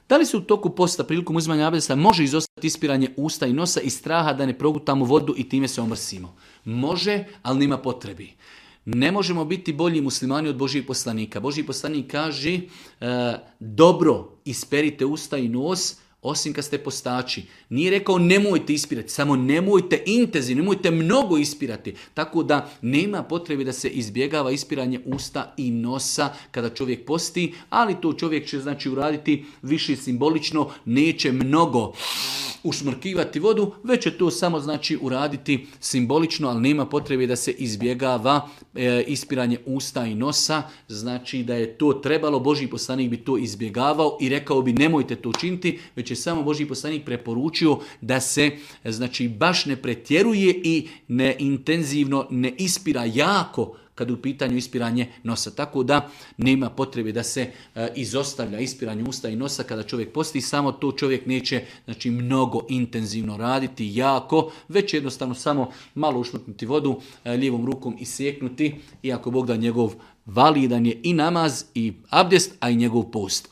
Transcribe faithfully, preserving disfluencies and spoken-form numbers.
Da li se u toku posta prilikom uzimanja abdesta može izostati ispiranje usta i nosa iz straha da ne progutamo vodu i time se omrsimo? Može, ali nema potrebi. Ne možemo biti bolji muslimani od Božijeg poslanika. Božji poslanik kaže e, dobro isperite usta i nos, osim kad ste postači. Nije rekao nemojte ispirati, samo nemojte intenzivno, nemojte mnogo ispirati. Tako da nema potrebe da se izbjegava ispiranje usta i nosa kada čovjek posti, ali to čovjek će znači uraditi više simbolično, neće mnogo ušmrkivati vodu, već će to samo znači uraditi simbolično, ali nema potrebe da se izbjegava e, ispiranje usta i nosa, znači da je to trebalo, Božji poslanik bi to izbjegavao i rekao bi nemojte to učiniti, već je samo Božji poslanik preporučio da se znači baš ne pretjeruje i ne intenzivno ne ispira jako kad u pitanju ispiranje nosa. Tako da nema potrebe da se e, izostavlja ispiranje usta i nosa kada čovjek posti, samo to čovjek neće znači, mnogo intenzivno raditi, jako, već jednostavno samo malo ušmrknuti vodu, e, lijevom rukom isjeknuti i ako Bog da njegov validan je i namaz i abdest, a i njegov post.